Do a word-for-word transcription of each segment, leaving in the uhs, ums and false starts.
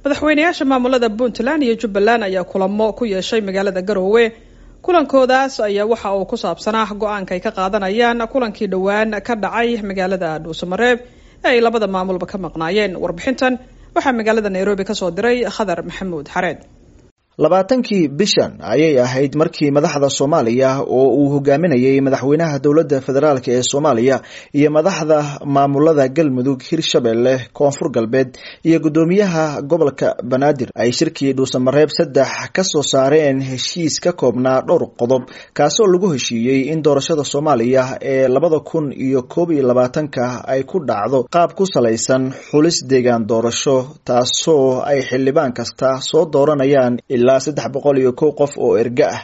Madaxweynayaasha maamulada Puntland iyo Jubbaland ayaa kulamo ku yeeshay magaalada Garowe. Kulankoodaas ayaa waxa uu ku saabsanaa go-aanka ay ka qaadanayaan kulankii dhowaan ka dhacay magaalada Dhuusamareeb ee ay labada maamulba ka maqnaayeen. Warbixintan waxaa magaalada Nairobi kasoo diray Khadar Maxamuud Xareed. Labaatankii bishan ayay ahayd markii madaxda Soomaaliya oo uu hogaaminayay madaxweynaha dowladda federaalk ee Soomaaliya iyo madaxda maamulada Galmudug, Hirshabelle, Koonfur Galbeed iyo guddoomiyaha gobolka Banaadir ay shirkii Dhuusamareeb saddex ka soo saareen heshiis ka koobnaa dhowr qodob, kaasoo lagu heshiiyey in doorashada Soomaaliya ee labada kun iyo koob iyo labaatanka ay ku dhacdo qaab ku salaysan xulis deegaan doorasho, taasoo ay xildhibaan kasta soo dooranayaan ilaa saddex boqol iyo kow qof oo erga ah.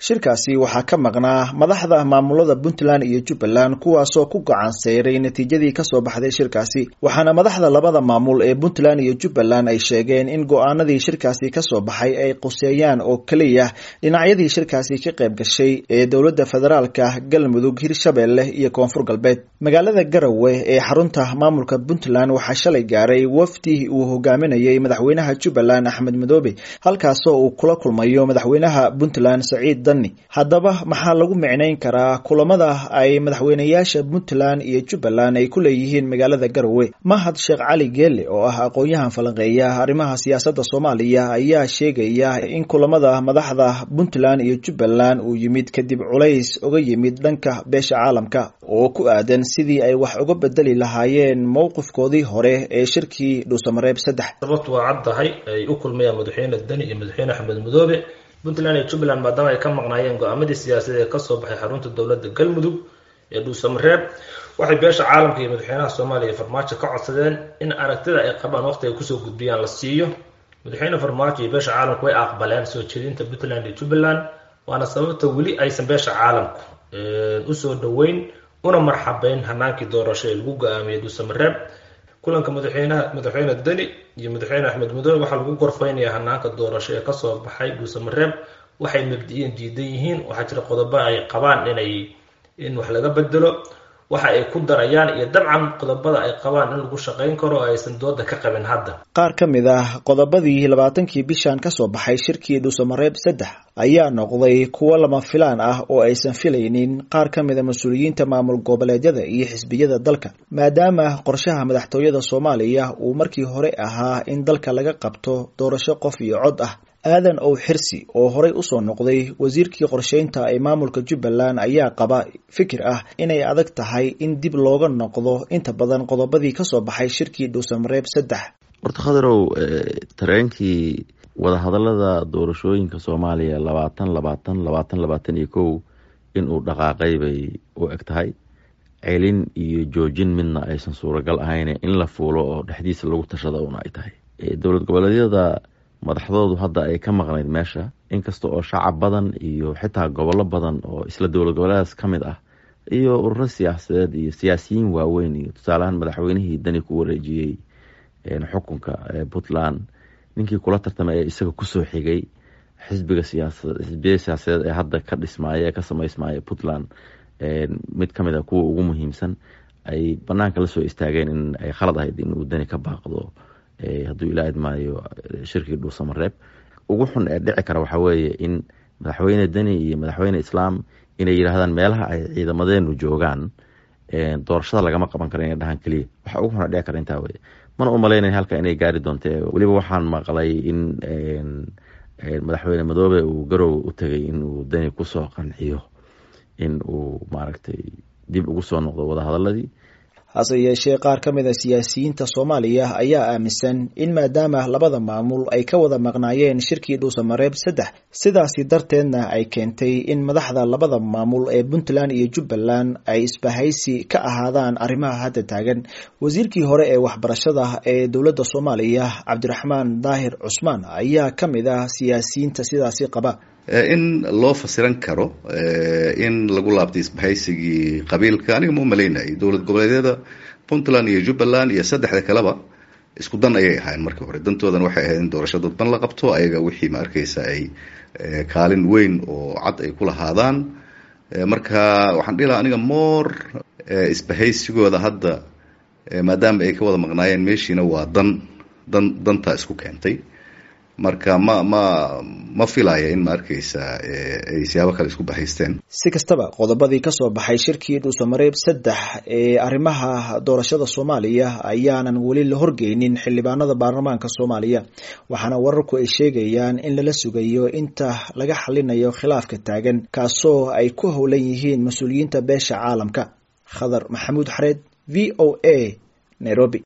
Shirkaasi waxaa ka maqnaa madaxda maamulada Puntland iyo Jubbaland, kuwaasoo ku gacan seyray natiijadii kasoo baxday shirkaasi, waxaana madaxda labada maamul ee Puntland iyo Jubbaland ay sheegeen in go-aanadii shirkaasi kasoo baxay ay quseeyaan oo keliya dhinacyadii shirkaasi ka qayb gashay ee dowladda federaalka, Galmudug, Hirshabelle iyo Koonfur Galbeed. Magaalada Garowe ee xarunta maamulka Puntland waxaa shalay gaaray wafdi uu hogaaminayay madaxweynaha Jubbaland Axmed Madoobe, halkaasoo uu kula kulmayo madaxweynaha Puntland Saciid. Haddaba maxaa lagu micnayn karaa kulamada ay madaxweynayaasha Puntland iyo Jubbaland ay ku leeyihiin magaalada Garowe? Mahad Sheekh Cali Geele oo ah aqoon-yahan falanqeeya arrimaha siyaasadda Soomaaliya ayaa sheegaya in kulamada madaxda Puntland iyo Jubbaland uu yimid kadib culays uga yimid dhanka beesha caalamka oo ku aadan sidii ay wax uga bedeli lahaayeen mowqifkoodii hore ee shirkii Dhuusamareeb saddex. Sababtu waa caddahay, ay u kulmayaan madaxweyne Deni iyo madaxweyne Axmed Madoobe Puntland iyo Jubbaland maadaama ay ka maqnaayeen go-aamadii siyaasadeed ee kasoo baxay xarunta dowladda Galmudug ee Dhuusamareeb, waxay beesha caalamka iyo madaxweynaha Soomaaliya Farmaajo ka codsadeen in aragtida ay qabaan waqti ay kusoo gudbiyaan la siiyo. Madaxweyne Farmaajo iyo beesha caalamku way aqbaleen soo jeedinta Puntland iyo Jubbaland, waana sababta weli aysan beesha caalamku usoo dhaweyn una marxabeyn hanaankii doorasho ee lagu go-aamiyey Dhuusamareeb. Kulanka madaxweynaha madaxweyne Deni iyo madaxweyne Axmed Madoobe waxaa lagu gorfeynayaa hanaanka doorasho ee kasoo baxay Dhuusamareeb. Waxay mabdi-iyan diidan yihiin, waxaa jira qodobo ay qabaan inay in wax laga bedelo, waxa ay ku darayaan iyo dabcan qodobada ay qabaan in lagu shaqayn karo oo aysan dooda ka qabin hadda. Qaar ka mid ah qodobadii labaatankii bishan kasoo baxay shirkii Dhuusamareeb saddex ayaa noqday kuwo lama filaan ah oo aysan filaynin qaar ka mid a mas-uuliyiinta maamul goboleedyada iyo xisbiyada dalka, maadaama qorshaha madaxtooyada Soomaaliya uu markii hore ahaa in dalka laga qabto doorasho qof iyo cod ah. Aadan Ow Xirsi oo horey usoo noqday wasiirkii qorsheynta ee maamulka Jubbaland ayaa qaba fikir ah inay adag tahay in dib looga noqdo inta badan qodobadii kasoo baxay shirkii Dhuusamareeb saddex. Horta Khadarow, tareenkii wadahadalada doorashooyinka Soomaaliya labaatan labaatan labaatan labaatan iyo kow inuu dhaqaaqay bay u eg tahay. Celin iyo joojin midna aysan suuragal ahayn, in la fuulo oo dhexdiisa lagu tashada una ay tahay. Dowlad goboleedyada madaxdoodu hadda ay ka maqnayd meesha, inkasta oo shacab badan iyo xitaa gobollo badan oo isla dowlad goboleedaas ka mid ah iyo ururo siyaasadeed iyo siyaasiyiin waaweyn iyo tusaaleahaan madaxweynihii Dani ku wareejiyey xukunka Puntland, ninkii kula tartamay ee isaga kusoo xigay xisbiga siyaasa xisbiyada siyaasadeed ee hadda ka dhismaaya ee ka samaysmaya Puntland mid ka mid a kuwa ugu muhiimsan, ay banaanka lasoo istaageen in ay khalad ahayd in uu Dani ka baaqdo hadduu ilaa idmaayo shirkii Dhuusamareeb. Ugu xun ee dhici kara waxaa weeye in madaxweyne Deni iyo madaxweyne Islaam inay yidhaahdaan meelaha ay ciidamadeenu joogaan doorashada lagama qaban karo, inay dhahaan keliya. Waxa ugu xun ee dhici kara intaa weye. Mana umaleynaya halka inay gaari doonte. Weliba waxaan maqlay in madaxweyne Madoobe uu Garowe u tegay in uu Deni kusoo qanciyo in uu maaragtay dib ugu soo noqdo wadahadaladii. Hase yeeshee qaar ka mid a siyaasiyiinta Soomaaliya ayaa aaminsan in maadaama labada maamul ay ka wada maqnaayeen shirkii Dhuusamareeb saddex, sidaasi darteedna ay keentay in madaxda labada maamul ee Puntland iyo Jubbaland ay isbahaysi ka ahaadaan arrimaha hadda taagan. Wasiirkii hore ee waxbarashada ee dowladda Soomaaliya Cabdiraxmaan Daahir Cusmaan ayaa ka mid ah siyaasiyiinta sidaasi qaba. In loo fasiran karo in lagu laabtay isbahaysigii qabiilka, aniga ma umalaynayay. Dowlad goboleedyada Puntland iyo Jubbaland iyo saddexda kaleba isku dan ayay ahaayeen markii hore. Dantoodan waxay ahayd in doorasho dadban la qabto, ayaga wixii ma arkaysa ay kaalin weyn oo cad ay ku lahaadaan. Marka waxaan dhihi lahaa aniga more isbahaysigooda hadda maadaama ay ka wada maqnaayeen meeshiina waa dan Dan dantaa isku keentay. Marka ma ma ma filaya in ma arkaysa ay siyaabo kale isku bahaysteen. Si kastaba, qodobadii kasoo baxay shirkii Dhuusamareeb saddex ee arrimaha doorashada Soomaaliya ayaanan weli la horgeynin xildhibaanada baarlamaanka Soomaaliya, waxaana wararku ay sheegayaan in lala sugayo inta laga xalinayo khilaafka taagan, kaasoo ay ku howlan yihiin mas-uuliyiinta beesha caalamka. Khadar Maxamuud Xareed, V O A, Nairobi.